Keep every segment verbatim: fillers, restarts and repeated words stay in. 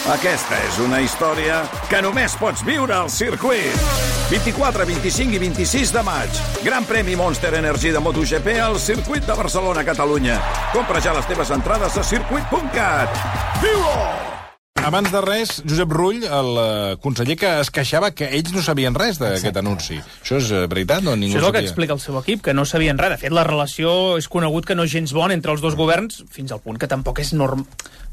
Aquesta és una història que només pots viure al circuit. vint-i-quatre, vint-i-cinc i vint-i-sis de maig. Gran premi Monster Energy de MotoGP al circuit de Barcelona, Catalunya. Compra ja les teves entrades a circuit punt cat. Viu-ho! Abans de res, Josep Rull, el conseller que es queixava que ells no sabien res d'aquest anunci. Això és veritat? No? Ningú Això és el que sabia. explica el seu equip, que no sabien res. De fet, la relació és conegut que no és gens bona entre els dos governs, fins al punt que tampoc és norm...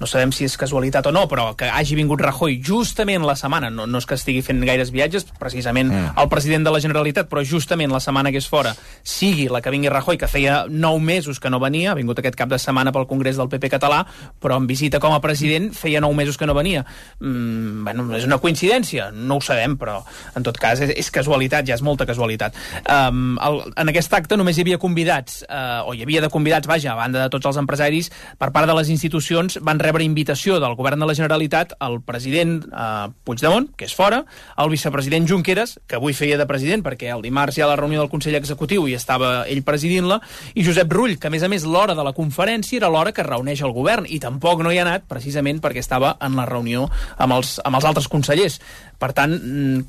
No sabem si és casualitat o no, però que hagi vingut Rajoy justament la setmana, no, no és que estigui fent gaires viatges, precisament mm. el president de la Generalitat, però justament la setmana que és fora, sigui la que vingui Rajoy, que feia nou mesos que no venia, ha vingut aquest cap de setmana pel Congrés del P P català, però en visita com a president feia nou mesos que no venia. Mm, bueno, és una coincidència? No ho sabem, però en tot cas és, és casualitat, ja és molta casualitat. Um, el, en aquest acte només hi havia convidats, uh, o hi havia de convidats, vaja, a banda de tots els empresaris, per part de les institucions van rebre invitació del govern de la Generalitat el president eh, Puigdemont, que és fora, el vicepresident Junqueras, que avui feia de president perquè el dimarts hi ha la reunió del Consell Executiu i estava ell presidint-la, i Josep Rull, que a més a més l'hora de la conferència era l'hora que reuneix el govern, i tampoc no hi ha anat precisament perquè estava en la reunió amb els, amb els altres consellers. Per tant,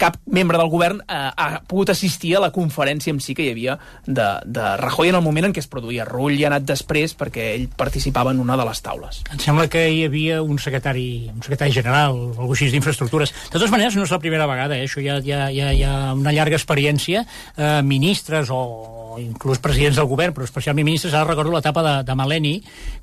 cap membre del govern eh, ha pogut assistir a la conferència en si que hi havia de, de Rajoy en el moment en què es produïa. Rull hi ha anat després perquè ell participava en una de les taules. Em sembla que hi havia un secretari, un secretari general, algú així d'infraestructures. De totes maneres, no és la primera vegada, eh? Això ja, ja, ja, ja una llarga experiència. Eh, ministres o inclús presidents del govern, però especialment ministres, ara recordo l'etapa de, de Maleni,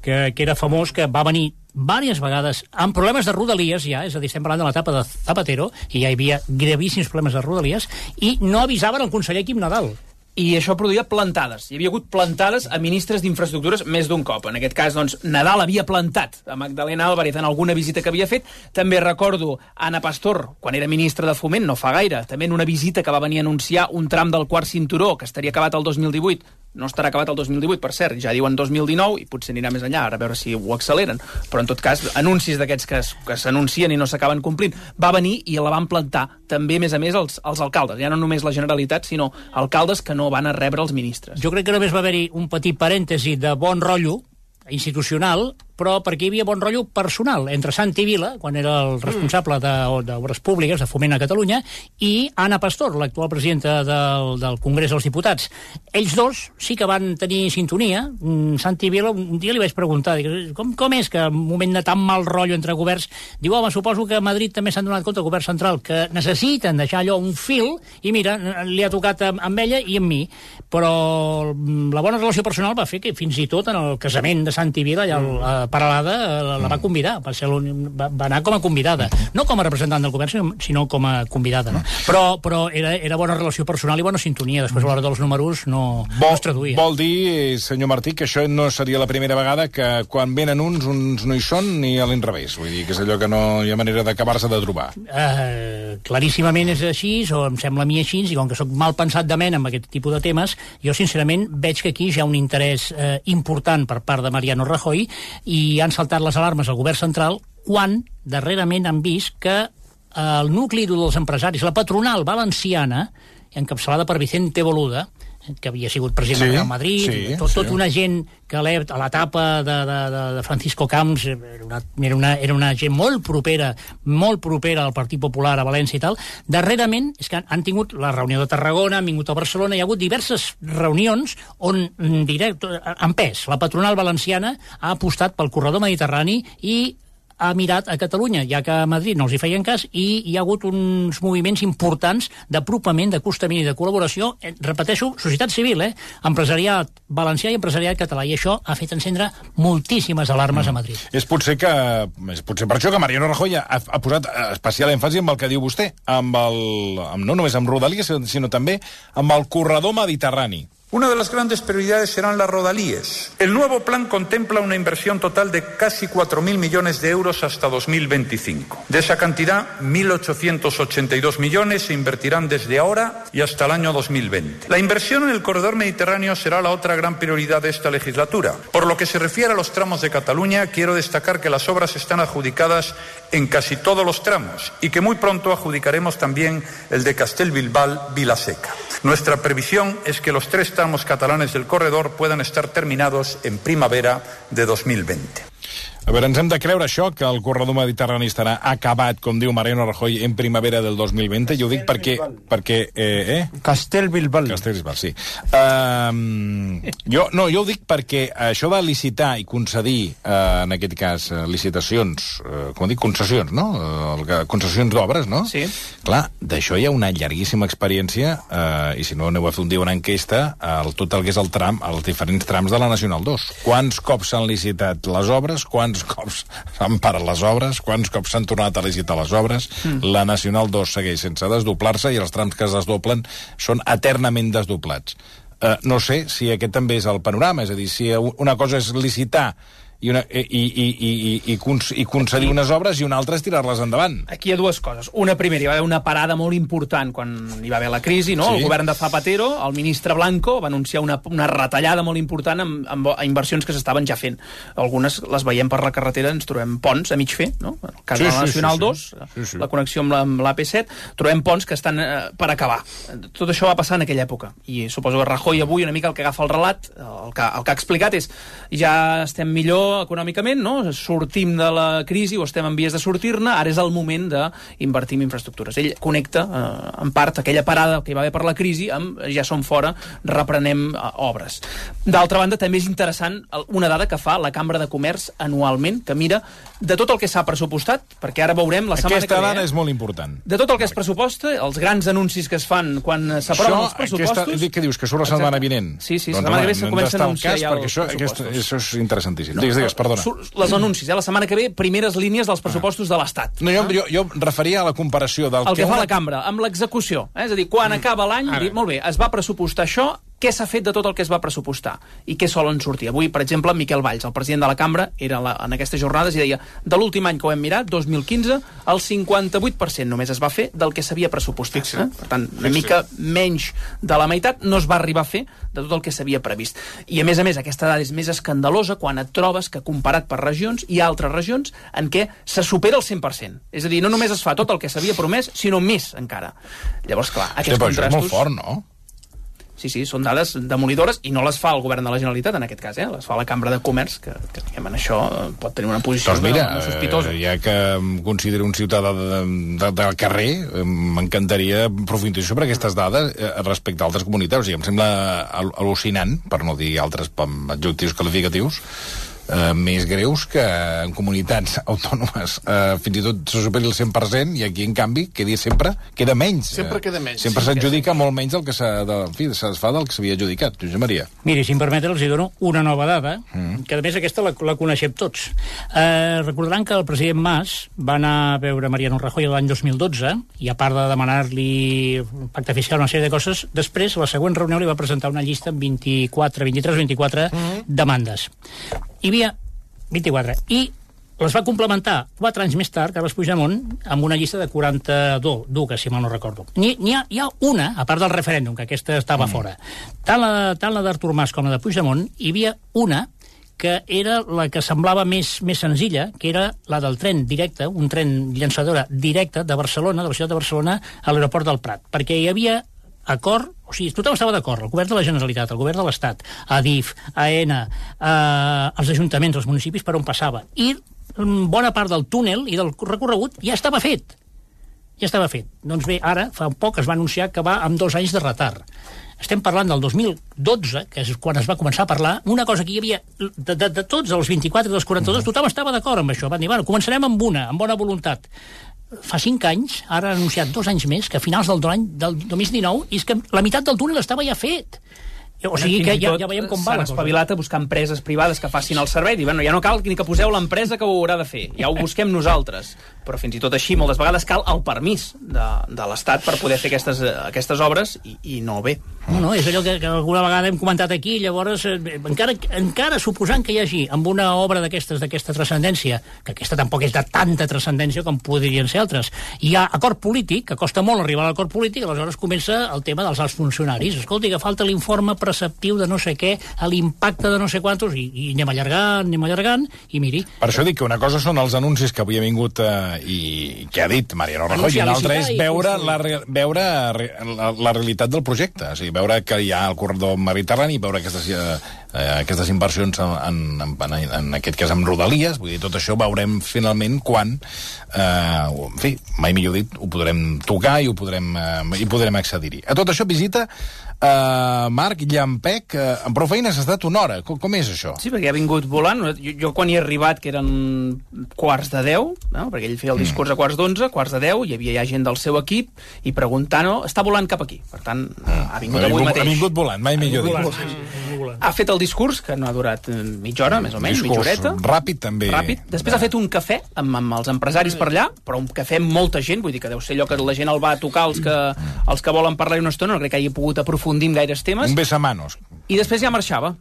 que, que era famós, que va venir diverses vegades amb problemes de rodalies ja, és a dir, estem parlant de l'etapa de Zapatero, i ja hi havia gravíssims problemes de rodalies, i no avisaven el conseller Quim Nadal. I això produïa plantades. Hi havia hagut plantades a ministres d'infraestructures més d'un cop. En aquest cas, doncs, Nadal havia plantat a Magdalena Álvarez en alguna visita que havia fet. També recordo Ana Pastor, quan era ministra de Foment, no fa gaire, també en una visita que va venir a anunciar un tram del quart cinturó que estaria acabat el dos mil divuit. No estarà acabat el dos mil divuit, per cert, ja diuen dos mil dinou, i potser anirà més enllà, ara a veure si ho acceleren. Però, en tot cas, anuncis d'aquests que, que s'anuncien i no s'acaben complint. Va venir i la van plantar també, a més a més, els, els alcaldes. Ja no només la Generalitat, sinó alcaldes que no van a rebre els ministres. Jo crec que només va haver-hi un petit parèntesi de bon rotllo institucional, però perquè hi havia bon rotllo personal entre Santi Vila, quan era el responsable d'Obres Públiques, de Foment a Catalunya, i Ana Pastor, l'actual presidenta del, del Congrés dels Diputats. Ells dos sí que van tenir sintonia. Santi Vila, un dia li vaig preguntar, dic, com, com és que en un moment de tan mal rotllo entre governs, diu, home, suposo que a Madrid també s'han donat compte, el govern central, que necessiten deixar allò un fil, i mira, li ha tocat amb ella i amb mi. Però la bona relació personal va fer que fins i tot en el casament de Santi Vila, ja el, Paralada la, la va convidar, va, ser va, va anar com a convidada, no com a representant del govern, sinó, sinó com a convidada, no? Però, però era, era bona relació personal i bona sintonia, després a l'hora dels números no, vol, no es traduïa. Vol dir, senyor Martí, que això no seria la primera vegada que quan venen uns, uns no hi són, ni a l'inrevés, vull dir que és allò que no hi ha manera d'acabar-se de trobar. Uh, claríssimament és així, o em sembla a mi així, i com que sóc mal pensat de mena amb aquest tipus de temes, jo sincerament veig que aquí hi ha un interès uh, important per part de Mariano Rajoy, i i han saltat les alarmes al govern central quan darrerament han vist que el nucli dels empresaris, la patronal valenciana, encapçalada per Vicente Boluda, que havia sigut president sí, de Real Madrid, sí, tot, tot sí. Una gent que a l'etapa de, de, de Francisco Camps era una, era, una, era una gent molt propera, molt propera al Partit Popular a València i tal. Darrerament és que han tingut la reunió de Tarragona, han vingut a Barcelona, hi ha hagut diverses reunions on, directe, en pes, la patronal valenciana ha apostat pel corredor mediterrani i ha mirat a Catalunya, ja que a Madrid no els hi feien cas, i hi ha hagut uns moviments importants d'apropament, d'acostament i de col·laboració, eh, repeteixo, societat civil, eh? Empresariat valencià i empresariat català, i això ha fet encendre moltíssimes alarmes mm. a Madrid. És potser que és potser per això que Mariano Rajoy ha, ha posat especial èmfasi amb el que diu vostè, amb el, amb, no només amb Rodalies, sinó també amb el corredor mediterrani. Una de las grandes prioridades serán las rodalíes. El nuevo plan contempla una inversión total de casi cuatro mil millones de euros hasta dos mil veinticinco. De esa cantidad, mil ochocientos ochenta y dos millones se invertirán desde ahora y hasta el año dos mil veinte. La inversión en el corredor mediterráneo será la otra gran prioridad de esta legislatura. Por lo que se refiere a los tramos de Cataluña, quiero destacar que las obras están adjudicadas en casi todos los tramos y que muy pronto adjudicaremos también el de Castellbilbao-Vilaseca. Nuestra previsión es que los tres tramos catalanes del corredor puedan estar terminados en primavera de dos mil veinte. A veure, ens hem de creure això, que el corredor mediterrani estarà acabat, com diu Mariano Rajoy, en primavera del dos mil vint. Jo ho dic perquè... perquè eh, eh? Castellbilbal. Castellbilbal, sí. Uh, jo, no, jo ho dic perquè això de licitar i concedir, uh, en aquest cas, uh, licitacions, uh, com dic, concessions, no? Uh, concessions d'obres, no? Sí. Clar, d'això hi ha una llarguíssima experiència, uh, i si no aneu a fer un dia una enquesta, el, tot el que és el tram, els diferents trams de la Nacional dos. Quants cops s'han licitat les obres, quants cops s'han parat les obres, quants cops s'han tornat a licitar les obres. Mm. La Nacional dos segueix sense desdoblar-se i els trams que es desdoblen són eternament desdoblats. Uh, no sé si aquest també és el panorama, és a dir, si una cosa és licitar i, una, i, i, i, i, i, i concedir aquí, unes obres i una altra és tirar-les endavant. Aquí hi ha dues coses. Una primera, hi va haver una parada molt important quan hi va haver la crisi, no? Sí. El govern de Zapatero, el ministre Blanco, va anunciar una, una retallada molt important amb, amb inversions que s'estaven ja fent. Algunes les veiem per la carretera, ens trobem ponts a mig fer, no? En el cas sí, de la Nacional sí, sí, dos, sí. Sí, sí. La connexió amb l'A P set, trobem ponts que estan eh, per acabar. Tot això va passar en aquella època. I suposo que Rajoy avui una mica el que agafa el relat, el que, el que ha explicat és ja estem millor econòmicament, no? Sortim de la crisi o estem en vies de sortir-ne, ara és el moment d'invertir en infraestructures. Ell connecta, eh, en part, aquella parada que hi va haver per la crisi amb ja som fora, reprenem eh, obres. D'altra banda, també és interessant una dada que fa la Cambra de Comerç anualment, que mira de tot el que s'ha pressupostat, perquè ara veurem la setmana aquesta que ve... Aquesta dada és molt important. De tot el que es pressuposta, els grans anuncis que es fan quan s'aproven els pressupostos... Aquesta, què dius, que surt la setmana vinent? Sí, sí, la doncs, setmana que ve no comença a anunciar ja els això, pressupostos. Aquesta, això és interessantíssim. No, digues, digues, perdona. Les anuncis, eh? La setmana que ve, primeres línies dels pressupostos de l'Estat. No, jo, jo, jo referia a la comparació del el que, que fa una... la cambra, amb l'execució. Eh? És a dir, quan mm. acaba l'any, dir, molt bé, es va pressupostar això, què s'ha fet de tot el que es va pressupostar i què solen sortir. Avui, per exemple, Miquel Valls, el president de la cambra, era la, en aquestes jornades i deia, de l'últim any que ho hem mirat, dos mil quinze, el cinquanta-vuit per cent només es va fer del que s'havia pressupostat. Eh? Per tant, una mica menys de la meitat no es va arribar a fer de tot el que s'havia previst. I a més a més, aquesta dada és més escandalosa quan et trobes que comparat per regions hi ha altres regions en què se supera el cent per cent. És a dir, no només es fa tot el que s'havia promès, sinó més encara. Llavors, clar, aquests sí, contrastos... Això és molt fort, no? Sí, sí, són dades demolidores i no les fa el govern de la Generalitat, en aquest cas, eh? Les fa la Cambra de Comerç, que, que diguem, en això pot tenir una posició doncs mira, de, sospitosa. Ja que em considero un ciutadà de, de, del carrer, m'encantaria aprofundir sobre aquestes dades respecte a altres comunitats. O sigui, em sembla al·lucinant, per no dir altres adjectius qualificatius, Uh, més greus que en comunitats autònomes uh, fins i tot se superi el cent per cent i aquí en canvi quedi sempre, queda menys sempre queda menys sempre sí, s'adjudica molt menys del que es fa del que s'havia adjudicat. Josep Maria. Miri, si em permeten els dono una nova dada mm. que a més aquesta la, la coneixem tots. Uh, recordaran que el president Mas va anar a veure Mariano Rajoy l'any dos mil dotze i a part de demanar-li pacte fiscal, una sèrie de coses, després a la següent reunió li va presentar una llista amb vint-i-quatre, vint-i-tres, vint-i-quatre mm. demandes. Hi havia vint-i-quatre. I les va complementar quatre anys més tard, Carles Puigdemont, amb una llista de quaranta-dos, que si mal no recordo. N'hi ha, hi ha una, a part del referèndum, que aquesta estava mm. fora. Tant la, tant la d'Artur Mas com la de Puigdemont, hi havia una que era la que semblava més, més senzilla, que era la del tren directe, un tren llançadora directa de Barcelona, de la ciutat de Barcelona, a l'aeroport del Prat. Perquè hi havia acord, o sigui, tothom estava d'acord, el govern de la Generalitat, el govern de l'Estat, Adif, AENA, eh, els ajuntaments, els municipis, per on passava. I bona part del túnel i del recorregut ja estava fet. Ja estava fet. Doncs bé, ara, fa poc, es va anunciar que va amb dos anys de retard. Estem parlant del dos mil dotze, que és quan es va començar a parlar, una cosa que hi havia de, de, de tots els vint-i-quatre i dels quaranta-dos, tothom estava d'acord amb això. Van dir, bueno, començarem amb una, amb bona voluntat. Fa cinc anys, ara ha anunciat dos anys més, que a finals del, del dos mil dinou, és que la meitat del túnel estava ja fet. O sigui que ja, ja veiem com va la cosa. S'han espavilat a buscar empreses privades que facin el servei. Diuen, bueno, ja no cal ni que poseu l'empresa que ho haurà de fer. Ja ho busquem nosaltres. Però fins i tot així, moltes vegades cal el permís de, de l'Estat per poder fer aquestes, aquestes obres i, i no bé. No, no, és allò que, que alguna vegada hem comentat aquí, llavors, eh, encara, encara suposant que hi hagi amb una obra d'aquestes, d'aquesta transcendència, que aquesta tampoc és de tanta transcendència com podrien ser altres, hi ha acord polític, que costa molt arribar a l'acord polític, aleshores comença el tema dels alts funcionaris. Escolti, que falta l'informe per receptiu de no sé què, a l'impacte de no sé quantos, i, i anem allargant, anem allargant, i miri... Per això dic que una cosa són els anuncis que avui ha vingut eh, i que ha dit Mariano Rajoy, i una altra és veure, la, veure la, la realitat del projecte, o sigui, veure que hi ha el corredor mediterrani, veure aquestes, eh, aquestes inversions en, en, en, en aquest cas en Rodalies, vull dir, tot això veurem finalment quan, eh, en fi, mai millor dit, ho podrem tocar i ho podrem, eh, i podrem accedir-hi. A tot això, visita Uh, Marc Llampec, uh, amb prou feines ha estat una hora. Com, com és això? Sí, perquè ha vingut volant. Jo, jo quan hi he arribat, que eren quarts de deu, no? Perquè ell feia el discurs a quarts d'onze, quarts de deu, hi havia ja gent del seu equip, i preguntant, oh, està volant cap aquí. Per tant, mm. ha vingut ha avui vingut, mateix. Ha vingut volant, mai millor dit. Volant. Ha fet el discurs, que no ha durat mitja hora, més o menys, mitja horeta. Ràpid, també. Ràpid. Després ha fet un cafè amb, amb els empresaris per allà, però un cafè amb molta gent, vull dir que deu ser allò que la gent el va a tocar, els que, els que volen parlar una estona, no crec que hagi pogut aprofundir en gaires temes. Un besamanos. I després ja marxava.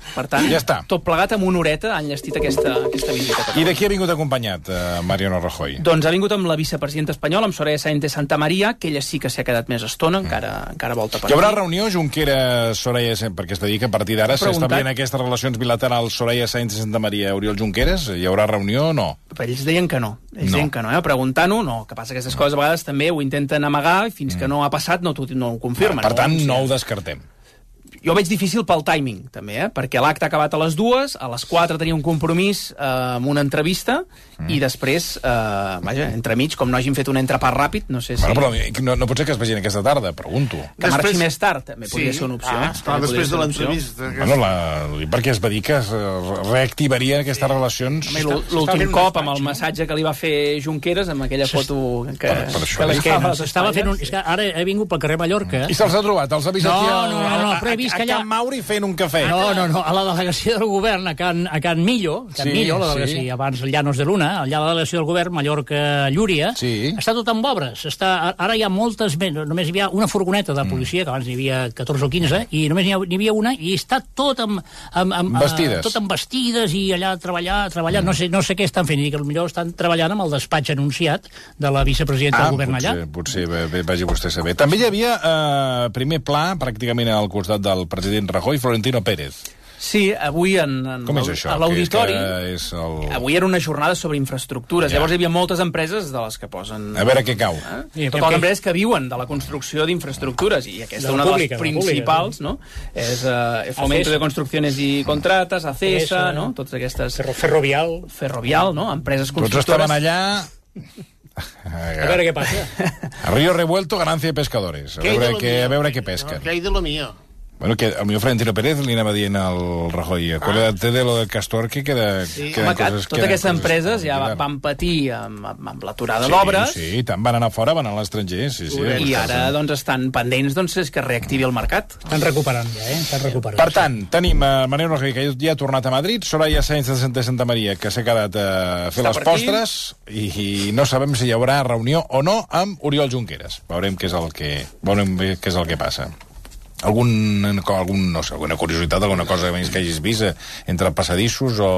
Per tant, ja està. Tot plegat amb una horeta han llestit aquesta, aquesta visita. I de qui ha vingut acompanyat, uh, Mariano Rajoy? Doncs ha vingut amb la vicepresidenta espanyola, amb Soraya Sáenz de Santa Maria, que ella sí que s'ha quedat més estona, mm. encara, encara volta per aquí. Hi haurà reunió Junqueras-Soraya Sáenz, perquè es dedica a partir d'ara s'establien aquestes relacions bilaterals Soraya Sáenz de Santa Maria-Oriol Junqueras? Hi haurà reunió o no? Però ells deien que no. Ells no. deien que no, eh? Preguntant-ho, no. Que passa que aquestes coses a vegades també ho intenten amagar i fins mm. que no ha passat no, no ho confirmen. Per tant, no, no ho descartem. Jo veig difícil pel timing, també, eh? Perquè l'acte ha acabat a les dues, a les quatre tenia un compromís eh, amb una entrevista, mm. i després, eh, vaja, entremig, com no hagin fet un entrepà ràpid, no sé si... Bueno, però no, no pot ser que es vegin aquesta tarda, pregunto. Que després... marxi més tard, també sí. podria ser una opció. Ah, esclar, després de l'entrevista. Bueno, la... perquè es va dir que es reactivarien aquestes sí. relacions... L'últim cop, amb el massatge que li va fer Junqueras, amb aquella foto que... Per, per això, que l'esquena. Estava fent un... És que ara he vingut pel carrer Mallorca... I se'ls ha trobat, els ha vist aquí... No, no, no, però he vist que allà... A Can Mauri fent un cafè. No, no, no, a la delegació del govern, a Can, a Can Millo, Can sí, Millo, la delegació, sí. abans Llanos de Luna, allà a la delegació del govern, Mallorca-Llúria, sí. està tot amb obres. Està, ara hi ha moltes... Només hi havia una furgoneta de policia, mm. que abans n'hi havia catorze o quinze, i només n'hi havia una, i està tot amb... amb, amb vestides. Tot amb vestides, i allà treballar, treballar... Mm. No sé, no sé què estan fent, i que potser estan treballant amb el despatx anunciat de la vicepresidenta ah, del govern potser, allà. Potser, potser vagi vostè a saber. També hi havia eh, primer pla, pràcticament al costat del president Rajoy, Florentino Pérez. Sí, avui en, en Com és això? a l'auditori... És el... Avui era una jornada sobre infraestructures. Ja. Llavors hi havia moltes empreses de les que posen... A veure què cau. Eh? Sí, totes les empreses que viuen de la construcció d'infraestructures, i aquesta és una pública, de les principals, pública, no? És uh, Fomento de Construcciones i Contratas, ACESA, no? Totes aquestes... Ferro, ferrovial. Ferrovial, no? Empreses constructores... Tots estaven allà... A veure què passa. A Río Revuelto, ganancia de pescadores. A veure, què, a veure què pesquen. No, què hi de lo mío? Bueno, que el millor Florentino Pérez li anava dient al Rajoy, acuérdate ah. de lo del Castor, que queda... Sí. Home, que totes aquestes empreses ja van patir amb, amb l'aturada sí, d'obres. Sí, tant van anar fora, van anar a l'estranger, sí, sí. I ara, doncs, estan pendents, doncs, és que reactivi el mercat. Estan recuperant ja, eh? Estan recuperant. Per tant, tenim uh, Mariano Rajoy, que ja ha tornat a Madrid, Soraya Sáenz de Santa, Santa Maria, que s'ha quedat a uh, fer Està les postres, i, i no sabem si hi haurà reunió o no amb Oriol Junqueras. Veurem què és el que, veurem què és el que passa. Algun, algun, no sé, alguna curiositat, alguna cosa més que hagis vist eh, entre passadissos o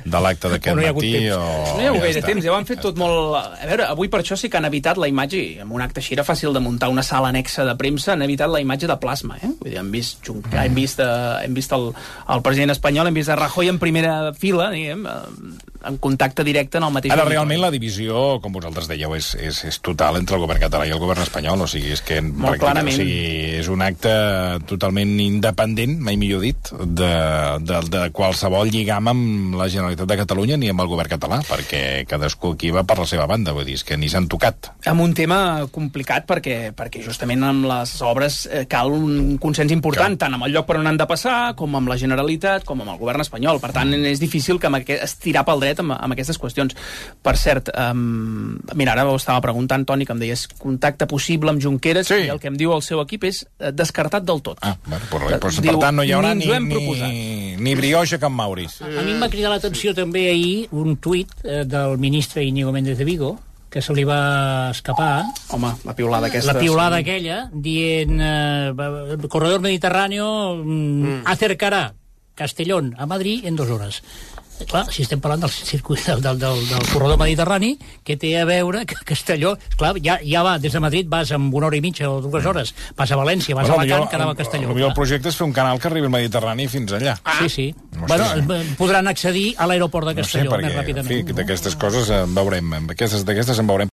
de l'acte d'aquest no matí o... No hi ha hagut gaire temps, ja ho han fet tot molt... A veure, avui per això sí que han evitat la imatge, i amb un acte així era fàcil de muntar una sala anexa de premsa, han evitat la imatge de plasma, eh? Vull dir, hem vist, Junc... mm. hem vist, uh, hem vist el, el president espanyol, hem vist a Rajoy en primera fila, diguem, uh, en contacte directe en el mateix... Ara, realment, la divisió, com vosaltres dèieu, és, és, és total entre el govern català i el govern espanyol, o sigui, és que... Molt clarament. O sigui, és un acte totalment independent, mai millor dit, de, de, de qualsevol lligam amb la Generalitat de Catalunya ni amb el govern català, perquè cadascú aquí va per la seva banda, vull dir, és que ni s'han tocat. Amb un tema complicat, perquè, perquè justament amb les obres eh, cal un consens important, Cal. tant amb el lloc per on han de passar, com amb la Generalitat, com amb el govern espanyol. Per tant, és difícil que amb aquest, estirar pel dret amb, amb aquestes qüestions. Per cert, um, mira, ara ho estava preguntant, Toni, que em deies contacte possible amb Junqueras, sí. i el que em diu el seu equip és eh, descartat del tot. Ah, bueno, però, però, per Diu, tant, no hi haurà ni, ni, ni, ni brioix a Can Mauri. A, a mi em va cridar l'atenció també ahir un tuit eh, del ministre Íñigo Méndez de Vigo, que se li va escapar. Home, la piulada aquesta. La piulada sí. aquella, dient eh, el corredor mediterráneo mm, mm. acercará Castellón a Madrid en dos horas. clar, si estem parlant del circuit del, del, del, del corredor mediterrani, que té a veure que Castelló, clar, ja, ja va, des de Madrid vas amb una hora i mitja o dues hores, vas a València, vas bueno, a Alacant, que anava a Castelló. El, el, el projecte és fer un canal que arribi al Mediterrani fins allà. Ah. Sí, sí. Bueno, podran accedir a l'aeroport de Castelló no sé, perquè, més ràpidament. En fi, d'aquestes coses en veurem, d'aquestes en veurem.